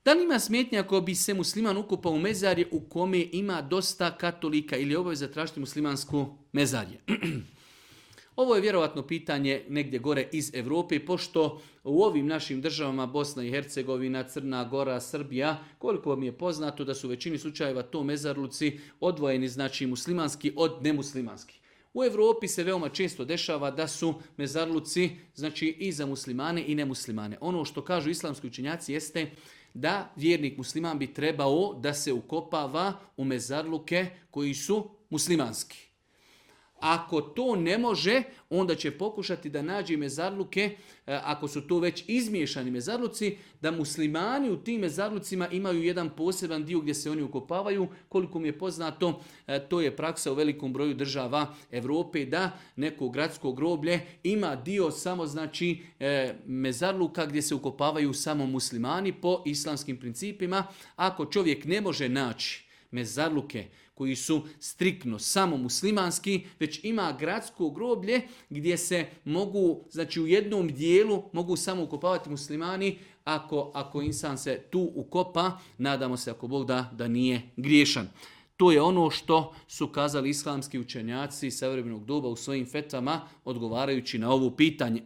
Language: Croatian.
Da li ima smetnja ako bi se musliman ukopao u mezarje u kome ima dosta katolika ili je obaveza tražiti muslimansku mezarje? Ovo je vjerovatno pitanje negdje gore iz Europe, pošto u ovim našim državama Bosna i Hercegovina, Crna Gora, Srbija, koliko vam je poznato da su u većini slučajeva to mezarluci odvojeni, znači muslimanski od nemuslimanskih. U Europi se veoma često dešava da su mezarluci znači i za muslimane i nemuslimane. Ono što kažu islamski učenjaci jeste da vjernik musliman bi trebao da se ukopava u mezarluke koji su muslimanski. Ako to ne može, onda će pokušati da nađe mezarluke, ako su to već izmiješani mezarluci, da muslimani u tim mezarlucima imaju jedan poseban dio gdje se oni ukopavaju. Koliko mi je poznato, to je praksa u velikom broju država Europe, da neko gradsko groblje ima dio samo znači mezarluka gdje se ukopavaju samo muslimani po islamskim principima. Ako čovjek ne može naći mezarluke koji su striktno samo muslimanski, već ima gradsko groblje gdje se mogu, znači u jednom dijelu mogu samo ukopavati muslimani, ako insan se tu ukopa, nadamo se ako Bog da nije griješan. To je ono što su kazali islamski učenjaci savremenog doba u svojim fetvama odgovarajući na ovo pitanje.